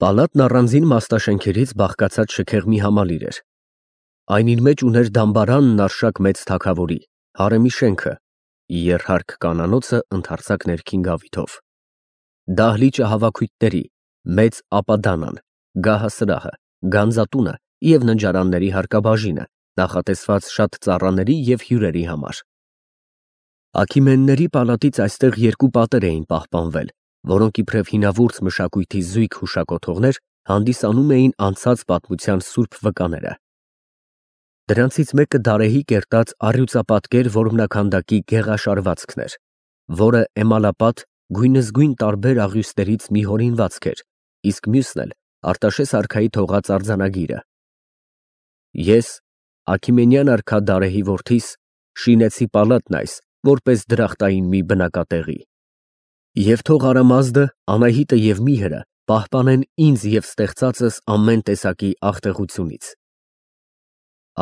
Պալատն առանձին մաստաշենքերից բաղկացած շքեղ մի համալիր էր։ Այն իր մեջ ուներ դամբարանն արշակ մեծ թագավորի, հարեմի շենքը, երհարկ կանանոցը ընդարձակ ներքին գավիթով, դահլիճը հավաքույթների, մեծ ապադանան, գահասրահը, գանձատունը և ննջարանների հարկաբաժինը, նախատեսված շատ ծառաների և հյուրերի համար։ Աքիմենների պալատից այստեղ երկու պատեր էին պահպանվել, որոնք իբրև հինավուրց մշակույթի զույգ հուշակոթողներ հանդիսանում էին անցած պատմության սուրբ վկաները։ Դրանցից մեկը դարեհի կերտած առյուծապատկեր որմնաքանդակի գեղաշարվածքն էր, որը էմալապատ գույնզգույն տարբեր աղյուսներից մի հորինվածք էր, իսկ մյուսն էլ Արտաշես արքայի թողած արձանագիրը։ Ես, Աքիմենյան արքա Դարեհի որդիս, շինեցի պալատն այս, որպես դրախտային մի բնակատեղի։ Եվ թող Արամազդը, Անահիտը և Միհրը պահպանեն ինձ և ստեղծածս ամեն տեսակի աղտեղությունից։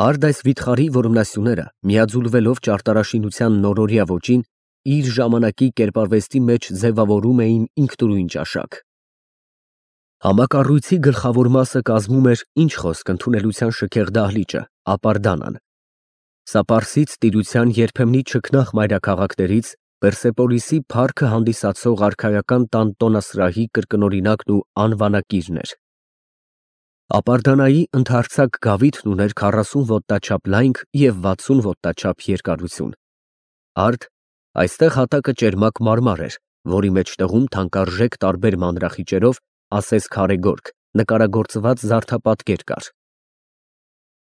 Արդ այս վիթխարի որմնասյուները, միաձուլվելով ճարտարաշինության նորորյա ոճին, իր ժամանակի կերպարվեստի մեջ ձևավորում էին ինքնուրույն ճաշակ։ Համակառույցի գլխավոր մասը կազմում էր, ինչ խոսք, ընդունելության շքեղ դահլիճը, ապարդանան։ Սա պարսից տիրության երբեմնի չքնաղ մայրաքաղաքներից Պերսեպոլիսի փառքը հանդիսացող արքայական տան տոնասրահի կրկնօրինակն ու անվանակիրն էր։ Ապարդանայի ընդարձակ գավիթն ուներ 40 ոտնաչափ լայնք և 60 ոտնաչափ երկարություն։ Արդ այստեղ հատակը ճերմակ մարմար էր, որի մեջտեղում թանկարժեք տարբեր մանրախիճերով, ասես քարե գորգ, նկարագործված զարդապատկեր կար։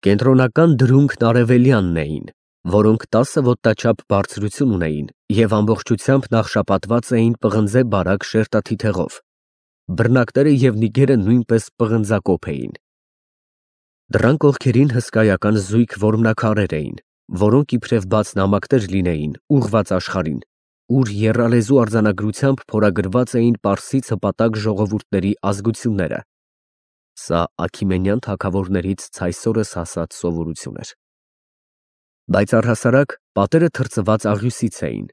Կենտրոնական դրունքն արևելյանն էին, որոնք 10 ոտնաչափ բարձրություն ունեին և ամբողջությամբ նախշապատված էին պղնձե բարակ շերտաթիթեղով, բռնակները և նիգերը նույնպես պղնձակոփ էին։ Դռան կողքերին հսկայական զույգ որմնաքարեր էին, որոնք իբրև բաց նամակներ լինեին, ուղղված աշխարհին, ուր եռալեզու արձանագրությամբ փորագրված էին պարսից հպատակ ժողովուրդների ազգությունները։ Սա Աքիմենյան թագավորներից ցայսօրս հասած սովորություն էր։ Բայց առհասարակ պատերը թրծված աղյուսից էին։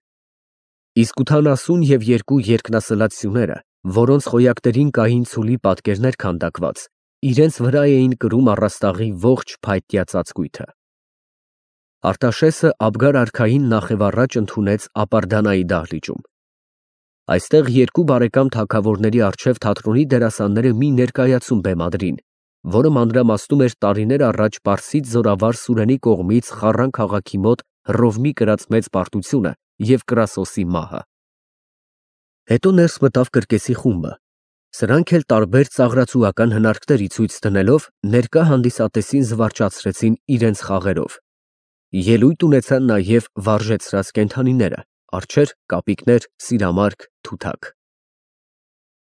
Իսկ ութանասուն և երկու երկնասլաց սյուները, որոնց խոյակներին կային ցուլի պատկերներ քանդակված, իրենց վրա էին կրում առաստաղի ողջ փայտյա ծածկույթը։ Արտաշեսը Աբգար արքային նախևառաջ ընդունեց ապարդանայի դահլիճում։ Այստեղ երկու բարեկամ թագավորների առջև թատրոնի դերասանները մի ներկայացում բեմադրին, որը մանրամասնում էր տարիներ առաջ պարսից զորավար Սուրենի կողմից Խառան քաղաքի մոտ Հռովմի կրած մեծ պարտությունը և Կրասոսի մահը։ Հետո ներս մտավ կրկեսի խումբը։ Սրանք էլ տարբեր ծաղրացուական հնարքներ ի ցույց դնելով ներկա հանդիսատեսին զվարճացրեցին իրենց խաղերով։ Ելույթ ունեցան նաև վարժեցրած կենդանիները՝ արջեր, կապիկներ, սիրամարգ, թութակ։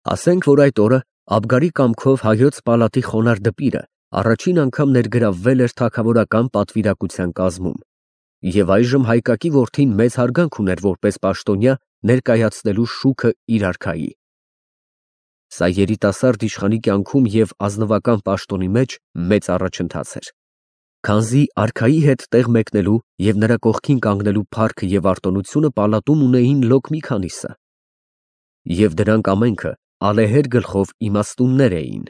Ասենք, որ այդ օրը Աբգարի կամքով հայոց պալատի խոնարհ դպիրը առաջին անգամ ներգրավվել էր թագավորական պատվիրակության կազմում, և այժմ հայկակի որդին մեծ հարգանք ուներ որպես պաշտոնյա ներկայացնելու շուքը իր արքայի։ Սա երիտասարդ իշխանի կյանքում և ազնվական պաշտոնի մեջ մեծ առաջընթաց էր, քանզի արքայի հետ տեղ մեկնելու և նրա կողքին կանգնելու փառքը և արտոնությունը պալատում ունեին լոկ մի քանիսը, և դրանք ամենքը ալեհեր գլխով իմաստուններ էին,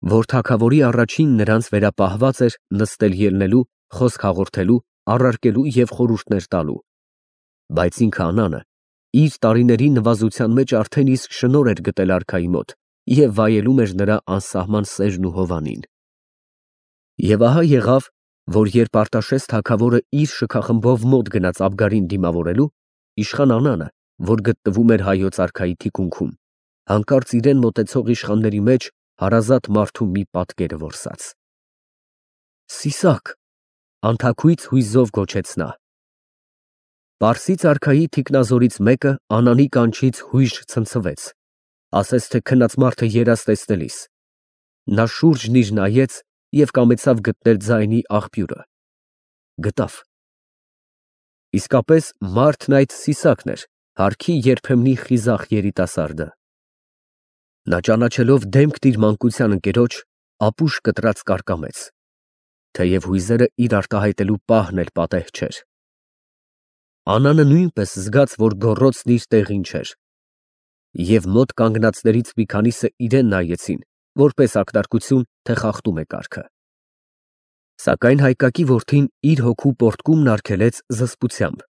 որ թագավորի առաջին նրանց վերապահված էր նստել ելնելու, խոսք հաղորդելու, առարկելու և խորհուրդներ տալու, բայց ինքը Անանը իր տարիների նվազության մեջ արդեն իսկ շնորհ էր գտել արքայի մոտ և վայելում էր նրա անսահման սերն ու հովանին։ Եվ ահա եղավ, որ երբ Արտաշես թագավորը իր շքախմբով մոտ գնաց Աբգարին դիմավորելու, իշխան Անանը, որ գտնվում էր հայոց արքայի թիկունքում, հանկարծ իրեն մոտեցող իշխանների մեջ հարազատ մարդու մի պատկերը որսաց։ «Սիսակ», անթաքույց հույզով գոչեց նա։ Պարսից արքայի թիկնազորից մեկը Անանի կանչից հույժ ցնցվեց, ասես թե քնած մարդը երազ տեսնելիս։ Նա շուրջն իր նայեց և կամեցավ գտնել ձայնի աղբյուրը։ Գտավ։ Իսկապես մարդն այդ Սիսակն էր, հարքի երբեմնի խիզախ երիտասարդը։ Նա ճանաչելով դեմքն իր մանկության ընկերոջ, ապուշ կտրած կարկամեց, թեև հույզերը իր արտահայտելու պահն էլ պատեհ չէր։ Անանը նույնպես զգաց, որ գոռոցն իր տեղին չէր, և մոտ կանգնածներից մի քանիսը իրան նայեցին որպես ակնարկություն, թե խախտում է կարգը։ Սակայն Հայկակի որդին իր հոգու պորտկումն արգելեց զսպությամբ,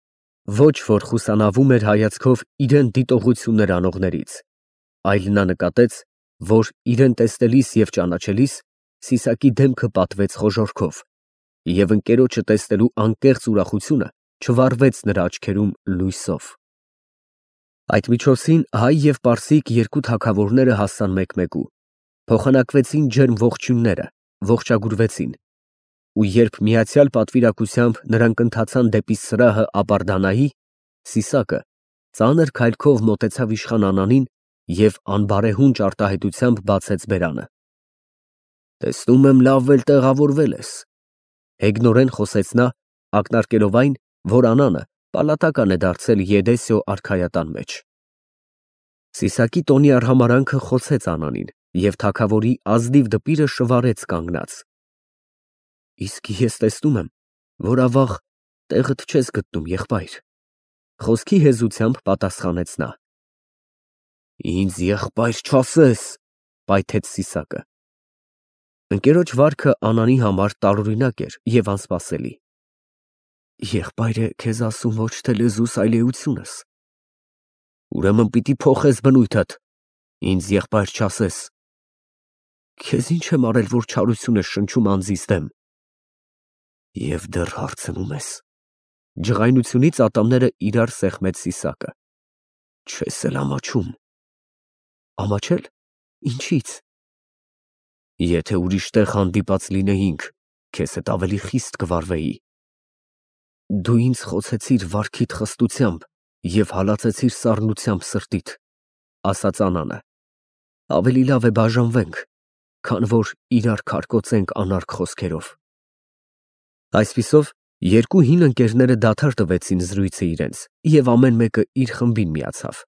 ոչ որ խուսանավում էր հայացքով իրեն դիտողություններ անողներից, այլ նա նկատեց, որ իրեն տեսնելիս և ճանաչելիս Սիսակի դեմքը պատվեց խոժոռքով, և ընկերոջը տեսնելու անկեղծ ուրախությունը չվառվեց նրա աչքերում լույսով։ Այդ միջոցին հայ և պարսիկ երկու թագավորները հասան մեկ֊մեկու, փոխանակվեցին ջերմ ողջույնները, ողջագուրվեցին, ու երբ միացյալ պատվիրակությամբ նրանք ընթացան դեպի սրահը Ապարդանայի, Սիսակը ծանր քայլքով մոտեցավ իշխան Անանին և անբարեհունչ արտահայտությամբ բացեց բերանը։ «Տեսնում եմ, լավ էլ տեղավորվել ես», հեգնորեն խոսեց նա, ակնարկելով այն, որ Անանը պալատական է դարձել Եդեսիո արքայատան մեջ։ Սիսակի տոնի արհամարհանքը խոցեց Անանին, և թագավորի ազնիվ դպիրը շվարեց կանգնած։ «Իսկ ես տեսնում եմ, որ ավաղ տեղդ չես գտնում, եղբայր», խոսքի հեզությամբ պատասխանեց նա։ «Ինձ եղբայր չասես», պայթեց Սիսակը։ Ընկերոջ վարքը Անանի համար տարօրինակ էր և անսպասելի։ «Եղբայր է քեզ ասում ոչ թե լեզուս, այլ էությունս։ Ուրեմն պիտի փոխես բնույթդ, ինձ եղբայր չասես։ Քեզ ինչ եմ արել, որ չարություն ես շնչում անձիս դեմ։ Եվ դեռ հարցնում ես»։ Ջղայնությունից ատամները իրար սեղմեց Սիսակը։ «Չես էլ ամաչում»։ «Ամաչել, ինչի՞ց»։ «Եթե ուրիշ տեղ հանդիպած լինեինք, քեզ հետ ավելի խիստ կվարվեի»։ «Դու ինձ խոցեցիր վարքիդ խստությամբ և հալածեցիր սառնությամբ սրտիդ», ասաց Անանը։ «Ավելի լավ է բաժանվենք, քան որ իրար քարկոծենք անարգ խոսքերով»։ Այսպիսով երկու հին ընկերները դադար տվեցին զրույցը իրենց և ամեն մեկը իր խմբին միացավ։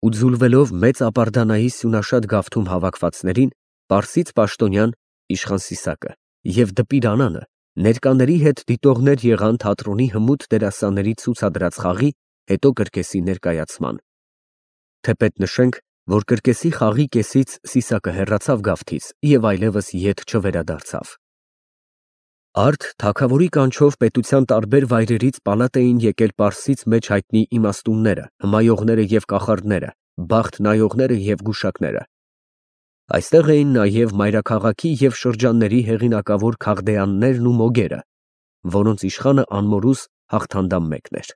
Ու ձուլվելով մեծ Ապարդանայի սյունաշատ գավթում հավաքվածներին, պարսից պաշտոնյան իշխան Սիսակը և դպիր Անանը ներկաների հետ դիտողներ եղան թատրոնի հմուտ դերասանների ցուցադրած խաղի, հետո կրկեսի ներկայացման։ Թեպետ նշենք, որ կրկեսի խաղի կեսից Սիսակը հեռացավ գավթից և այլևս ետ չվերադարձավ։ Արդ թագավորի կանչով պետության տարբեր վայրերից պալատ էին եկել Պարսից մեջ հայտնի իմաստունները, հմայողները և կախարդները, բախտ նայողները և գուշակները։ Այստեղ էին նաև մայրաքաղաքի և շրջանների հեղինակավոր քաղդեաններն ու մոգերը, որոնց իշխանը անմորուս Հաղթանդամ մեկն էր։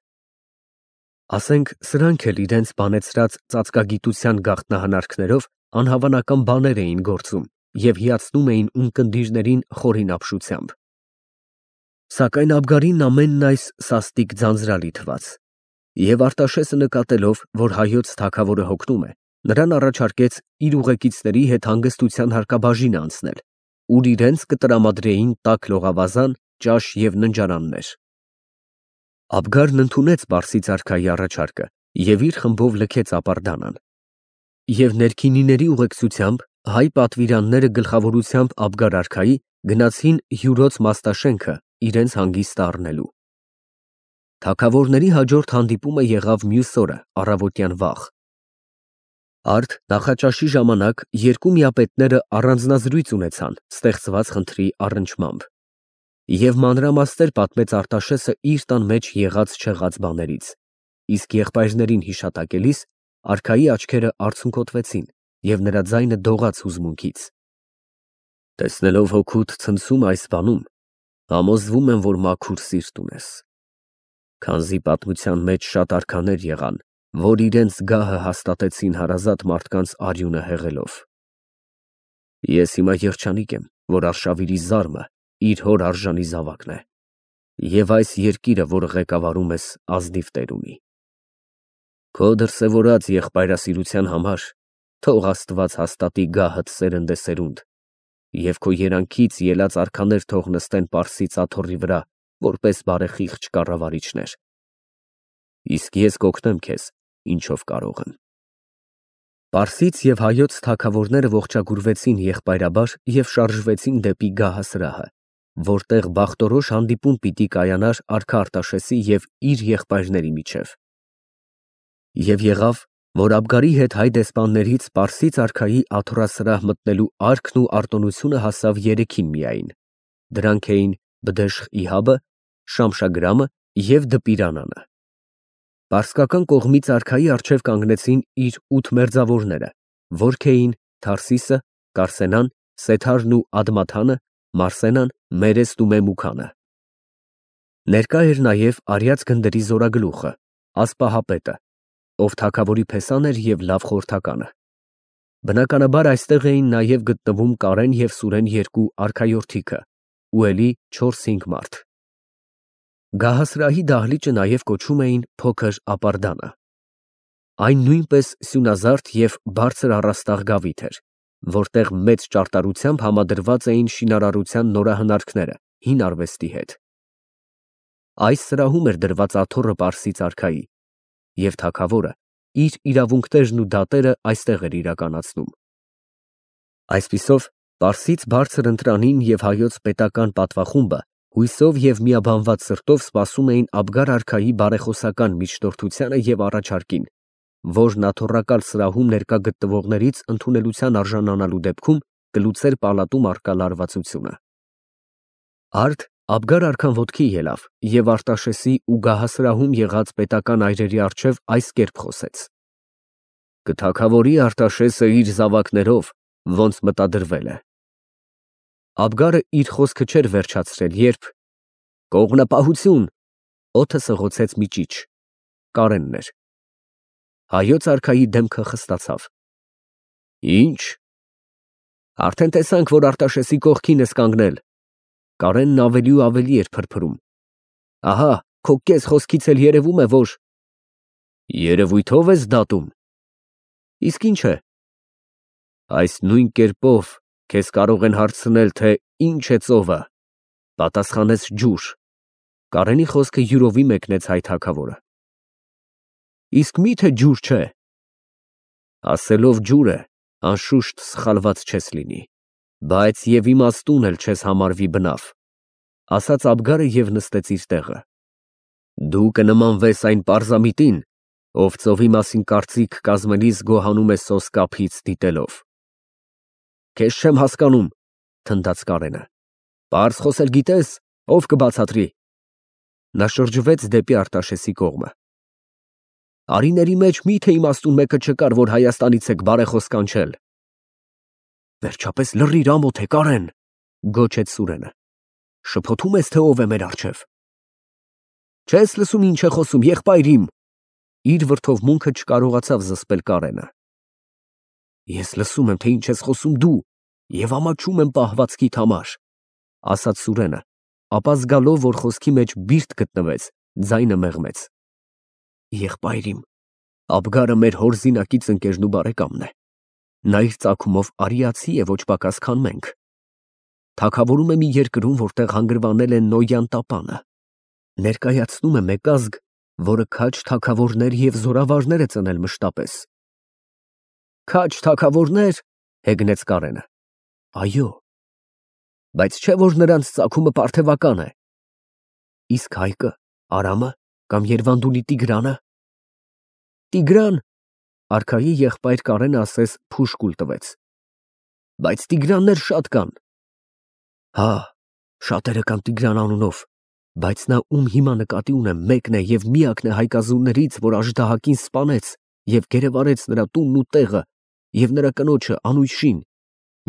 Ասենք սրանք էլ իրենց բանեցրած ծածկագիտության գաղտնահնարքներով անհավանական բաներ էին գործում և հիացնում էին ունկնդիրներին խորին ապշությամբ։ Սակայն Աբգարին ամենն այս սաստիկ ձանձրալի թվաց, և Արտաշեսը նկատելով, որ հայոց թագավորը հոգնում է, նրան առաջարկեց իր ուղեկիցների հետ հանգստության հարկաբաժին անցնել, ուր իրենց կտրամադրեին տաք լողավազան, ճաշ և ննջարաններ։ Աբգարն ընդունեց պարսից արքայի առաջարկը և իր խմբով լքեց Ապարդանան։ Եվ ներքինիների ուղեկցությամբ հայ պատվիրանները գլխավորությամբ Աբգար արքայի գնացին հյուրոց Մաստաշենքը իրենց հանգիստը առնելու։ Թագավորների հաջորդ հանդիպումը եղավ մյուս օրը առավոտյան վաղ։ Արդ նախաճաշի ժամանակ երկու միապետները առանձնազրույց ունեցան ստեղծված խնդրի առնչմամբ, և մանրամասներ պատմեց Արտաշեսը իր տան մեջ եղած֊չեղած բաներից, իսկ եղբայրներին հիշատակելիս արքայի աչքերը արցունքոտվեցին և նրա ձայնը դողաց հուզմունքից։ Տեսնելով հոգուդ ցնցում այս բանում, համոզվում եմ, որ մաքուր սիրտ ունես, քանզի պատմության մեջ շատ արքաներ եղան, որ իրենց գահը հաստատեցին հարազատ մարդկանց արյունը հեղելով։ Ես հիմա երջանիկ եմ, որ արշավիրի զարմը իր հոր արժանի զավակն է, և այս երկիրը, որը ղեկավարում ես, ազնիվ տեր ունի։ Քո դրսևորած եղբայրասիրության համար թող Աստված հաստատի գահդ սերնդեսերունդ, և քո երանքից ելած արքաներ թող նստեն Պարսից աթոռի վրա, որպես բարեխիղճ կառավարիչներ։ Իսկ ես կօգնեմ քեզ, ինչով կարող եմ։ Պարսից և հայոց թագավորները ողջագուրվեցին եղբայրաբար և շարժվեցին դեպի գահասրահը, որտեղ բախտորոշ հանդիպում պիտի կայանար արքա Արտաշեսի և իր եղբայրների միջև։ Եվ եղավ, որ Աբգարի հետ հայ դեսպաններից Պարսից արքայի աթոռասրահ մտնելու արքն ու արտոնությունը հասավ երեքին միայն. դրանք էին Բդեշ-Իհաբը, Շամշագրամը և Դպիրանանը։ Պարսկական կողմից արքայի առջև կանգնեցին իր 8 մերձավորները, որք էին Թարսիսը, Կարսենան, Սեթարն ու Ադմաթանը, Մարսենան, Մերեսն ու Մեմուքանը։ Ներկա էր նաև արյաց գնդերի զորագլուխը, Ասպահապետը, ով թագավորի փեսան էր և լավ խորհրդականը։ Բնականաբար այստեղ էին նաև գտնվում Կարեն և Սուրեն երկու արքայորդիքը ու էլի 4-5 մարդ։ Գահասրահի դահլիճը նաև կոչում էին Փոքր ապարդանը։ Այն նույնպես սյունազարդ և բարձր առաստաղ գավիթ էր, որտեղ մեծ ճարտարությամբ համադրված էին շինարարության նորահնարքները հին արվեստի հետ։ Այս սրահում էր դրված աթոռը Պարսից արքայի, և թագավորը իր իրավունքներն ու դատերը այստեղ էր իրականացնում։ Այսպիսով, Պարսից բարձր ընտրանին և հայոց պետական պատվախումբը հույսով և միաբանված սրտով սպասում էին Աբգար արքայի բարեխոսական միջնորդությանը և առաջարկին, որն աթոռակալ սրահում ներկա գտնվողներից ընդունելության արժանանալու դեպքում կլուծեր պալատում առկա լարվածությունը։ Արդ Աբգար արքան ոտքի ելավ և Արտաշեսի ու գահասրահում եղած պետական այրերի առջև այս կերպ խոսեց. «Կթագավորի Արտաշեսը իր զավակներով, ոնց մտադրվել է»։ Աբգարը իր խոսքը չէր վերջացրել, երբ «Կողմնապահություն» օդը սղոցեց մի ճիչ։ Կարենն էր։ Հայոց արքայի դեմքը խստացավ։ Ի՞նչ։ Արդեն տեսանք, որ Արտաշեսի կողքին ես կանգնել։ Կարենն ավելի ու ավելի էր փրփրում։ Ահա, քո կես խոսքից էլ երևում է, որ… Երևույթով ես դատում։ Իսկ ինչ է։ Այս նույն կերպով քեզ կարող են հարցնել, թե ինչ է ծովը։ Պատասխանես ջուր։ Կարենի խոսքը յուրովի մեկնեց հայ թագավորը։ Իսկ մի՞թե ջուր չէ։ Ասելով ջուր է, անշուշտ սխալված չես լինի, բայց և իմաստուն էլ չես համարվի բնավ, ասաց Աբգարը և նստեց իր տեղը։ Դու կնմանվես այն պարզամիտին, ով ծովի մասին կարծիք կազմելիս գոհանում է սոսկափից դիտելով։ Քեզ չեմ հասկանում, թնդաց Կարենը։ Պարզ խոսել գիտես, ով կբացատրի։ Նա շրջվեց դեպի Արտաշեսի կողմը։ Արիների մեջ մի՞թե իմաստուն մեկը չկար, որ Հայաստանից եք բարեխոս կանչել։ Վերջապես լռիր, ամոթ է, Կարեն, գոչեց Սուրենը։ Շփոթում ես, թե ով է մեր առջև։ Չես լսում ինչ է խոսում, եղբայր իմ։ Իր վրդովմունքը չկարողացավ զսպել Կարենը։ Ես լսում եմ, թե ինչ ես խոսում դու, և ամաչում եմ պահվածքիդ համար, ասաց Սուրենը, ապա զգալով, որ խոսքի մեջ բիրտ գտնվեց, ձայնը մեղմեց։ Եղբայր իմ, Աբգարը մեր հոր զինակից ընկերն ու բարեկամն է։ Նա իր ծագումով արիացի է, ոչ պակաս, քան մենք։ Թագավորում է մի երկրում, որտեղ հանգրվանել է Նոյան տապանը։ Ներկայացնում է մեկ ազգ, որը քաջ թագավորներ և զորավարներ է ծնել մշտապես։ Քաջ թագավորներ, հեգնեց Կարենը։ Այո։ Բայց չէ՞ որ նրանց ծագումը պարթևական է։ Իսկ Հայկը, Արամը կամ Երվանդունի Տիգրանը։ Տիգրան, արքայի եղբայր Կարենը ասես փուշկուլ տվեց։ Բայց Տիգրաններ շատ կան։ Հա, շատերը կան Տիգրան անունով, բայց նա ում հիմա նկատի ունեմ մեկն է և միակն է հայկազուններից, որ Աժդահակին սպանեց և գերեվարեց նրա տունն ու տեղը և նրա կնոջը Անուշին,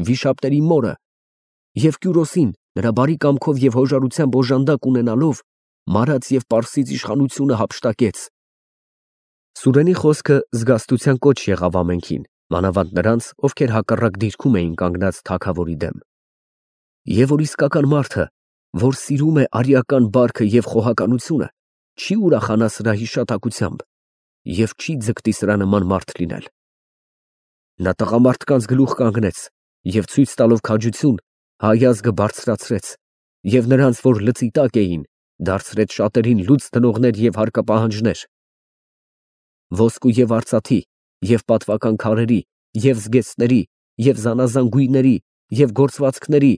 վիշապների մորը, և Կյուրոսին, նրա բարի կամքով և հոժարությամբ օժանդակ ունենալով, մարած և Պարսից իշխանությունը հափշտակեց։ Սուրենի խոսքը զգաստության կոչ եղավ ամենքին, մանավանդ նրանց, ովքեր հակառակ դիրքում էին կանգնած թագավորի դեմ։ Եվ որ իսկական մարդը, որ սիրում է արիական բարքը և խոհականությունը, չի ուրախանա սրա հիշատակությամբ և չի ձգտի սրա նման մարդ լինել։ Նա տղամարդկանց գլուխ կանգնեց և ցույց տալով քաջություն, հայ ազգը բարձրացրեց և նրանց, որ լծի տակ էին, դարձրեց շատերին լուծ դնողներ և հարկապահանջներ։ Ոսկու և արծաթի, և պատվական քարերի, և զգեստների, և զանազան գույների, և գործվածքների,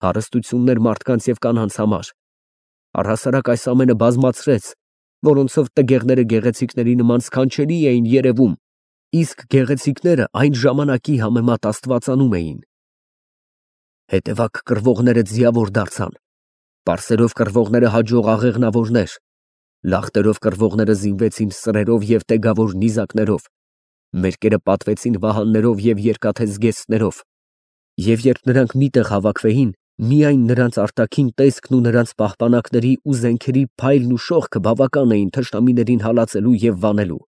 հարստություններ մարդկանց և կանանց համար։ Առհասարակ այս ամենը բազմացրեց, որոնցով տգեղները գեղեցիկների նման սքանչելի էին երևում, իսկ գեղեցիկները այն ժամանակի համեմատ աստվածանում էին։ Հետևակ կռվողները ձիավոր դարձան, պարսերով կռվողները հաջող աղեղնավորներ, լախտերով կռվողները զինվեցին սրերով և տեգավոր նիզակներով, մերկերը պատվեցին վահաններով և երկաթե զգեստներով, և երբ նրանք միտեղ հավաքվեին, միայն նրանց արտաքին տեսքն ու նրանց պահպանակների ու զենքերի փայլն ու շողքը բավական էին թշնամիներին հալածելու և վանելու։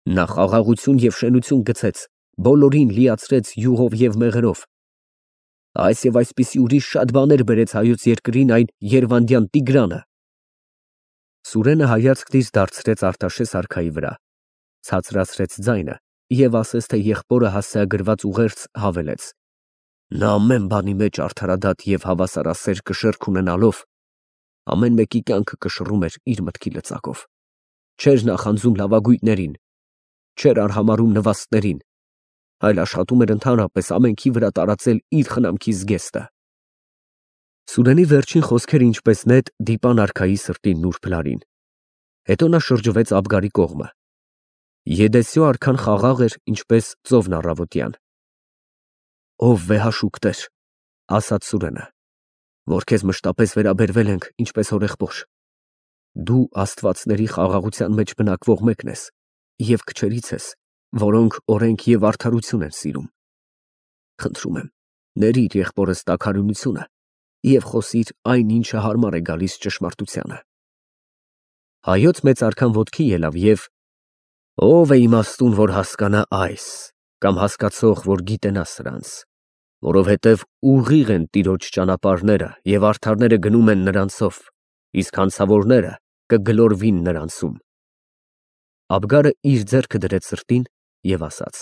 Նա խաղաղություն և շենություն գցեց, բոլորին լիացրեց յուղով և մեղրով։ Այս և այսպիսի ուրիշ շատ բաներ բերեց հայոց երկրին այն Երվանդյան Տիգրանը։ Սուրենը հայացքն իր դարձրեց Արտաշես արքայի վրա, ցածրացրեց ձայնը և ասես թե եղբորը հասցեագրված ուղերձ հավելեց. նա ամեն բանի մեջ արդարադատ և հավասարասեր կշեռք ունենալով, ամեն մեկի կյանքը կշռում էր իր մտքի լծակով, չէր նախանձում լավագույններին, չէր արհամարհում նվաստներին, այլ աշխատում էր ընդհանրապես ամենքի վրա տարածել իր խնամքի զգեստը։ Սուրենի վերջին խոսքերը ինչպես նետ դիպան արքայի սրտի նուրբ լարին։ Հետո նա շրջվեց Աբգարի կողմը։ Եդեսյո արքան խաղաղ էր, ինչպես ծովն առավոտյան։ Ով վեհաշուկ Տեր, ասաց Սուրենը, որ քեզ մշտապես վերաբերվել ենք, ինչպես հորեղբոր։ Դու աստվածների խաղաղության մեջ բնակվող մեկն ես և քչերից ես, որոնք օրենք և արդարություն են սիրում։ Խնդրում եմ, ներիր եղբորս տաքարյունությունը և խոսիր այն, ինչը հարմար է գալիս ճշմարտությանը։ Հայոց մեծ արքան ոտքի ելավ և ով է իմաստուն, որ հասկանա այս, կամ հասկացող, որ գիտենա սրանց, որովհետև ուղիղ են Տիրոջ ճանապարհները և արդարները գնում են նրանցով, իսկ հանցավորները կգլորվին նրանցում։ Աբգարը իր ձեռքը դրեց սրտին և ասաց.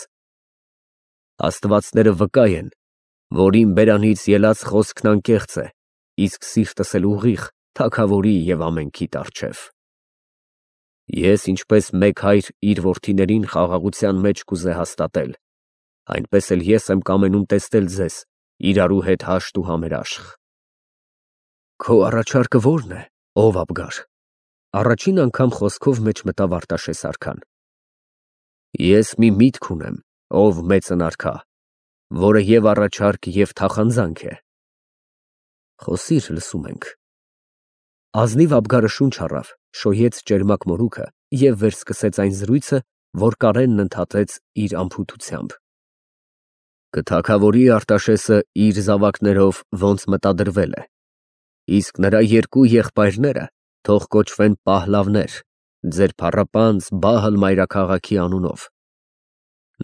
Աստվածները վկա են, որ իմ բերանից ելած խոսքն անկեղծ է, իսկ սիրտս էլ ուղիղ թագավորի և ամենքի առջև։ Ես ինչպես մեկ հայր իր որդիներին խաղաղության մեջ կուզե հաստատել, այնպես էլ ես եմ կամենում տեսնել ձեզ իրարու հետ հաշտ ու համերաշխ։ Քո առաջարկը ո՞րն է, ով Աբգար։ Առաջին անգամ խոսքով մեջ մտավ Արտաշես արքան։ Ես մի միտք ունեմ, ով մեծն արքա, որը և առաջարկ և թախանձանք է։ Խոսիր, լսում ենք։ Ազնիվ Աբգարը շունչ առավ, շոյեց ճերմակ մորուքը և վերսկսեց այն զրույցը, որ Կարենն ընդհատեց իր անփութությամբ։ Կթագավորի Արտաշեսը իր զավակներով ոնց մտադրվել է, իսկ նրա երկու եղբայրները թող կոչվեն պահլավներ, ձեր փառապանծ Բահլ մայրաքաղաքի անունով,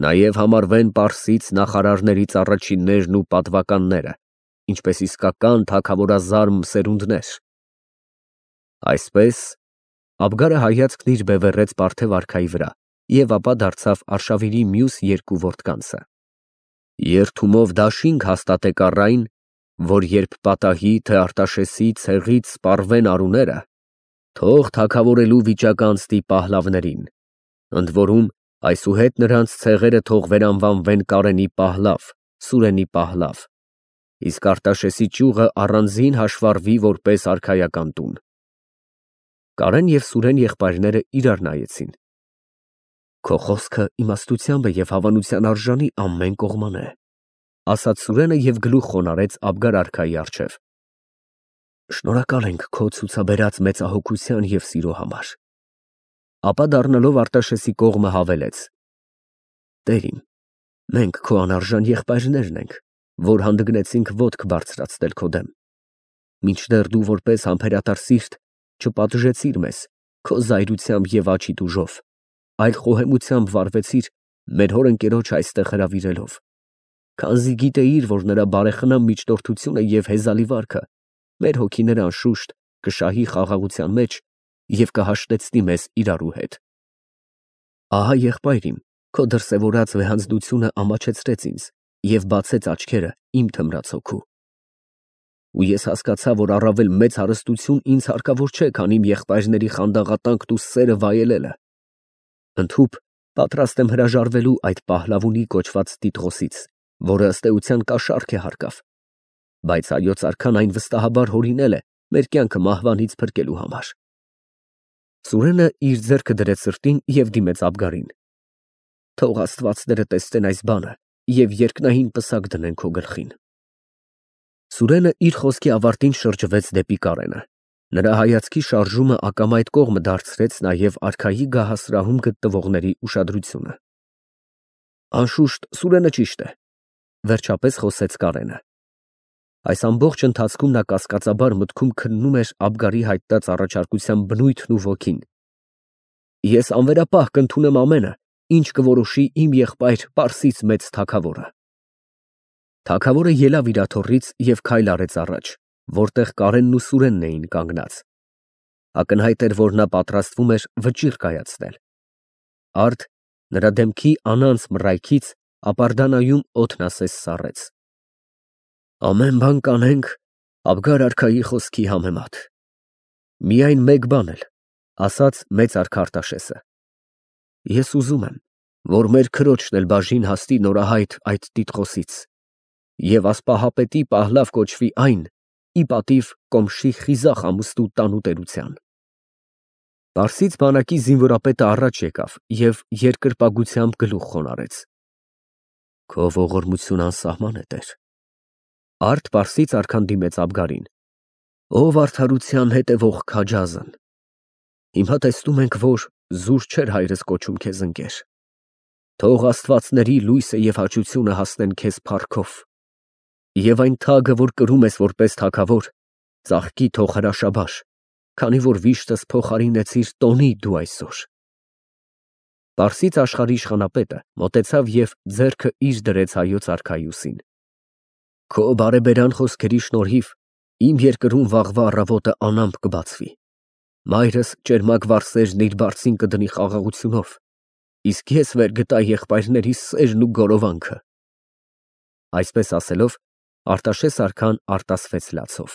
նաև համարվեն պարսից նախարարներից առաջիններն ու պատվականները, ինչպես իսկական թագավորազարմ սերունդներ։ Այսպես Աբգարը հայացքն իր բևեռեց Պարթև արքայի վրա և ապա դարձավ Արշավիրի մյուս երկու որդկանցը։ Երդումով դաշինք հաստատեք առ այն, որ երբ պատահի, թե Արտաշեսի ցեղից սպառվեն արուները, թող թագավորելու վիճակ անցնի Պահլավներին, ընդ որում այսուհետ նրանց ցեղերը թող վերանվանվեն Կարենի Պահլավ, Սուրենի Պահլավ, իսկ Արտաշեսի ճյուղը առանձին հաշվառվի որպես արքայական տուն։ Կարեն և Սուրեն եղբայրները իրար նայեցին։ Քո խոսքը իմաստությամբ է և հավանության արժանի ամեն կողմանե, ասաց Սուրենը և գլուխ խոնարհեց Աբգար արքայի առջև։ Շնորհակալ ենք քո ցուցաբերած մեծահոգության և սիրո համար։ Ապա դառնալով Արտաշեսի կողմը հավելեց. Տեր իմ, մենք քո անարժան եղբայրներն ենք, որ հանդգնեցինք ոտք բարձրացնել քո դեմ, մինչդեռ դու որպես համբերատար սիրտ չպատժեցիր մեզ քո զայրությամբ և աչի տուժով, այլ խոհեմությամբ վարվեցիր մեր հոր ընկերոջ այստեղ հրավիրելով, քանզի գիտեիր, որ նրա բարեխնամ միջնորդությունը և հեզալի վարքը մեր հոգիները անշուշտ կշահի խաղաղության մեջ և կհաշտեցնի մեզ իրարու հետ։ Ահա եղբայր իմ, քո դրսևորած վեհանձնությունը ամաչեցրեց ինձ և բացեց աչքերը իմ թմրած հոգու։ Ու ես հասկացա, որ առավել մեծ հարստություն ինձ հարկավոր չէ, քան իմ եղբայրների խանդաղատանքն ու սերը վայելելը։ Ընդհուպ պատրաստ եմ հրաժարվելու այդ Պահլավունի կոչված Տիտղոսից, որը ըստ էության կաշառք է հարկավ, բայց հայոց արքան այն վստահաբար հորինել է մեր կյանքը մահվանից փրկելու համար։ Սուրենը իր ձեռքը դրեց սրտին և դիմեց Աբգարին։ Թող աստվածները տեսնեն այս բանը և երկնային պսակ դնեն քո գլխին։ Սուրենը իր խոսքի ավարտին շրջվեց դեպի Կարենը։ Նրա հայացքի շարժումը ակամա այդ կողմը դարձրեց նաև արքայի գահասրահում գտնվողների ուշադրությունը։ Անշուշտ, Սուրենը ճիշտ է, վերջապես խոսեց Կարենը։ Այս ամբողջ ընթացքում նա կասկածաբար մտքում քննում էր Աբգարի հայտնած առաջարկության բնույթն ու ոգին։ Ես անվերապահ կընդունեմ ամենը, ինչ կորոշի իմ եղբայր Պարսից մեծ թագավորը։ Թագավորը ելավ իր աթոռից և քայլ արեց առաջ, որտեղ Կարենն ու Սուրենն էին կանգնած։ Ակնհայտ էր, որ նա պատրաստվում էր վճիռ կայացնել։ Արդ նրա դեմքի անանց մռայքից ապարդանայում օդն ասես սառեց։ Ամեն բան կանենք Աբգար արքայի խոսքի համեմատ։ Միայն մեկ բան էլ, ասաց մեծ արքա Արտաշեսը։ Ես ուզում եմ, որ մեր քրոջն էլ բաժին հասնի նորահայտ այդ տիտղոսից, և ասպահապետի Պահլավ կոչվի այն, ի պատիվ Կոմշի խիզախ ամուսնու տանուտերության։ Պարսից բանակի զինվորապետը առաջ եկավ և երկրպագությամբ գլուխ խոնարհեց։ Քո ողորմություն անսահման է, տեր։ Արդ պարսից արքան դիմեց Աբգարին։ Ով արդարության հետևող քաջազն։ Հիմա տեսնում ենք, որ զուր չէր հայրս կոչում քեզ ընկեր։ Թող աստվածների լույսը և հաճությունը հասնեն քեզ փառքով, և այն թագը, որ կրում ես որպես թագավոր, ծաղկի թող հրաշաբար, քանի որ վիշտս փոխարինեցիր տոնի դու այսօր։ Պարսից աշխարհի իշխանապետը մոտեցավ և ձեռքը իր դրեց հայոց արքայուսին։ Քո բարեբերան խոսքերի շնորհիվ իմ երկրում վաղվա առավոտը անամպ կբացվի։ Մայրս ճերմակ վարսերն իր բարձին կդնի խաղաղությունով, իսկ ես վերգտա եղբայրներիս սերն ու գորովանքը։ Այսպես ասելով, Արտաշես արքան արտասվեց լացով։